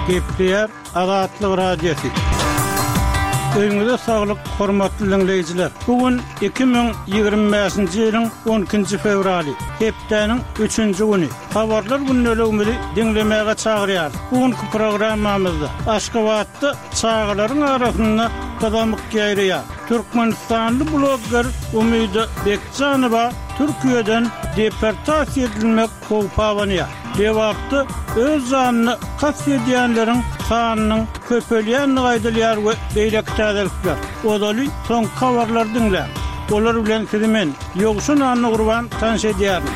Gepleýär Azatlyk Radiosy. Öýüňize saglyk, hormatly diňleýjiler! Bu gün 2025-nji ýylyň on ikinji fewraly, hepdäniň üçünji güni. Habarlar gündeligimizi diňlemäge çagyrýarys. Bu günki programmamyzda Aşgabatda çagalaryň arasynda gyzamyk ýaýraýar. Türkmenistanly blogger Umyda Bekjanowa Türkiýeden deportasiýa edilmek howpy abanýar. Lebapda öz janyna kast edýänleriň sanynyň köpelýändigi aýdylýar we beýleki täzelikler. Ozaly soňky habarlary diňläň. Olar bilen sizi men, Ýowşan Annagurban tanyş edýärin.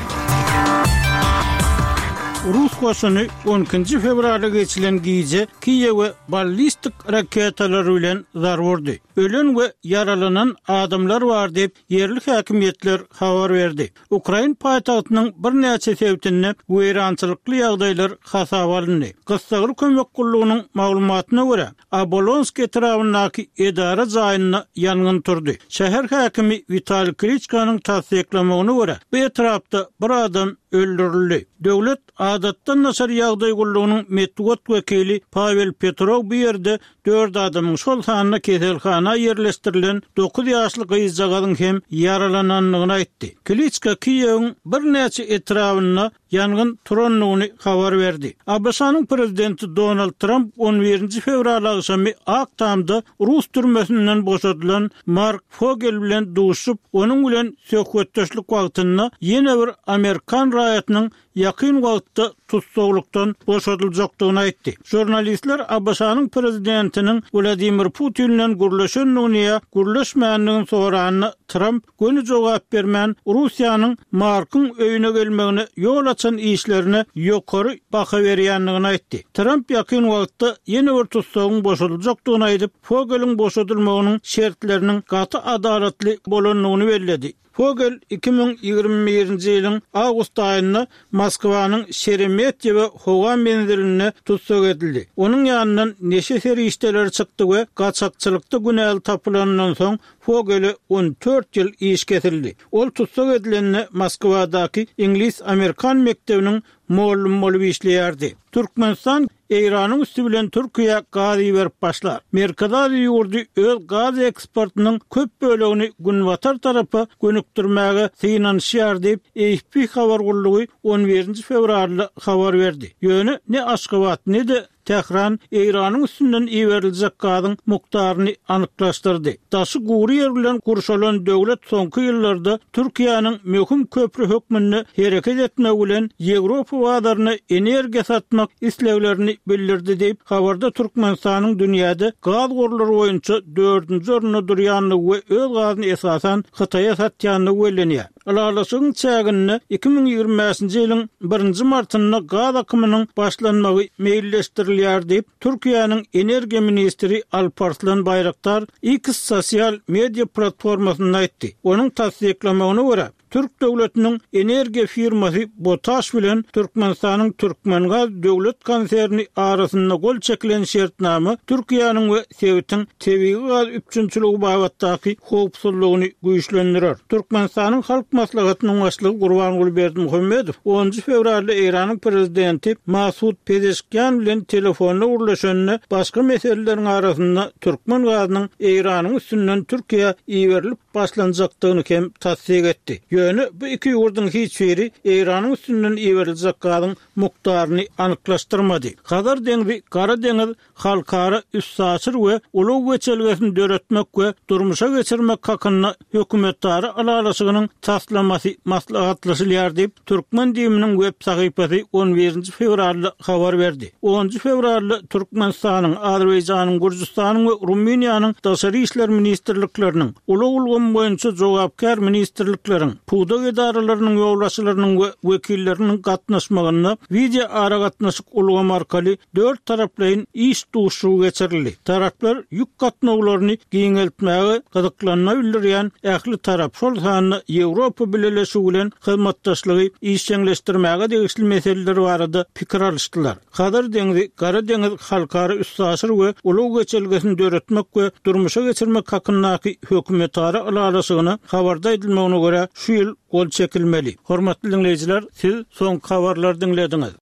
Rus goşuny on ikinji fewralda geçilen gije Kiýewe ballistik raketalary bilen zarba urdy. Ölen we ýaralanan adamlar bar diýip, ýerli häkimiýetler habar berdi. Ukrain paýtagtynyň birnäçe sebitinde weýrançylykly ýagdaýlar hasaba alyndy. Gyssagly kömek gullugynyň maglumatyna görä, Obolonsk etrabyndaky edara jaýynda ýangyn turdy. Şäher häkimi Witaliý Kliçkanyň tassyklamagyna görä, bu etrapda bir adam öldürildi. Döwlet adatdan daşary ýagdaý gullugynyň metbugat wekili Pawel Petrow bu ýerde dört adamyň, şol sanda keselhana ýerleşdirilen dokuz ýaşly gyzjagazyň hem ýaralanandygyny aýtdy. Kliçka Kiýewiň birnäçe etrabynda ýangyn turandygyny habar berdi. ABŞ-nyň prezidenti Donald Tramp on birinji fewral agşamy Ak Tamda rus türmesinden boşadylan Mark Fogel bilen duşup, onuň bilen söhbetdeşlik wagtynda ýene bir amerikan raýatynyň ýakyn wagtda tussaglykdan boşadyljakdygyny aýtdy. Žurnalistler ABŞ-nyň prezidentiniň Wladimir Putin bilen gürleşendigini ýa gürleşmändigini soranda, Tramp göni jogap bermän, Russiýanyň Markyň öýüne gelmegine ýol açan işlerine ýokary baha berýändigini aýtdy. Tramp ýakyn wagtda ýene bir tussagyň boşadyljakdygyny aýdyp, Fogeliň boşadylmagynyň şertleriniň gaty adalatly bolandygyny belledi. Fogel 2021-nji ýylyň awgust aýynda Moskwanyň Şeremetýewo howa menzilinde tussag edildi. Onuň ýanyndan neşe serişdeleri çykdy we gaçakçylykda günäli tapylanyndan soň Fogele 14 ýyl iş kesildi. Ol tussag edilende Moskwadaky iňlis-amerikan mekdebiniň mugallym bolup işleýärdi. Türkmenistan Eýranyň üsti bilen Türkiýä gaz iberip başlar. Merkezi Aziýa ýurdy öz gaz eksportynyň köp bölegini günbatar tarapa gönükdirmäge synanyşýar diýip, AFP habar gullugy on birinji fewralda habar berdi. Ýöne ne Aşgabat, ne-de Tähran Eýranyň üstünden iberiljek gazyň mukdaryny anyklaşdyrdy. Daşy gury ýer bilen gurşalan döwlet soňky ýyllarda Türkiýäniň möhüm köpri hökmünde hereket etmegi bilen Ýewropa bazaryna energiýa satmak isleglerini bildirdi diýip, habarda Türkmenistanyň dünýäde gaz gorlary boýunça dördünji orunda durýandygy we öz gazyny esasan Hytaýa satýandygy bellenýär. Ylalaşygyň çäginde 2025-nji ýylyň birinji martynda gaz akymynyň başlanmagy meýilleşdirilýär diýip, Türkiýäniň energiýa ministri Alparslan Baýraktar X sosial media platformasynda aýtdy. Onuň tassyklamagyna görä, türk döwletiniň energiýa firmasy BOTAŞ bilen Türkmenistanyň Türkmengaz döwlet konserni arasynda gol çekilen şertnama Türkiýäniň we sebitiň tebigy gaz üpjünçiligi babatdaky howpsuzlygyny güýçlendirer. Türkmenistanyň Halk Maslahatynyň Başlygy Gurbanguly Berdimuhamedow onunjy fewralda Eýranyň Prezidenti Masud Pezeşkian bilen telefonda gürleşende başga meseleleriň arasynda türkmen gazynyň Eýranyň üstünden Türkiýä iberilip başlanjakdygyny hem tassyk etdi. Ýöne bu iki ýurduň hiç biri Eýranyň üstünden iberiljek gazyň mukdaryny anyklaşdyrmady. Hazar deňzi, Gara deňiz halkara üstaşyr we ulag geçelgesini döretmek we durmuşa geçirmek hakynda hökümetara ylalaşygynyň taslamasy maslahatlaşylýar diýip, türkmen DIM-niň web sahypasy on birinji fewralda habar berdi. Onunjy fewralda Türkmenistanyň, Azerbaýjanyň, Gürjüstanyň we Rumyniýanyň Daşary işler ministrlikleriniň, ulag ulgamy boýunça jogapkär ministrlikleriň, pudak edaralarynyň ýolbaşçylarynyň we wekilleriniň gatnaşmagynda wideoaragatnaşyk ulgamy arkaly dörttaraplaýyn iş duşuşygy geçirildi. Taraplar ýük gatnawlaryny giňeltmäge gyzyklanma bildirýän ähli tarap, şol sanda Ýewropa Bileleşigi bilen hyzmatdaşlygy işjeňleşdirmäge degişli meseleler barada pikir alyşdylar. Hazar deňzi, Gara deňiz halkara üstaşyr we ulag geçelgesini döretmek we durmuşa geçirmek hakyndaky hökümetara ylalaşygyna habarda aýdylmagyna görä, şu ýyl gol çekilmeli. Hormatly diňleýjiler, siz soňky habarlary diňlediňiz.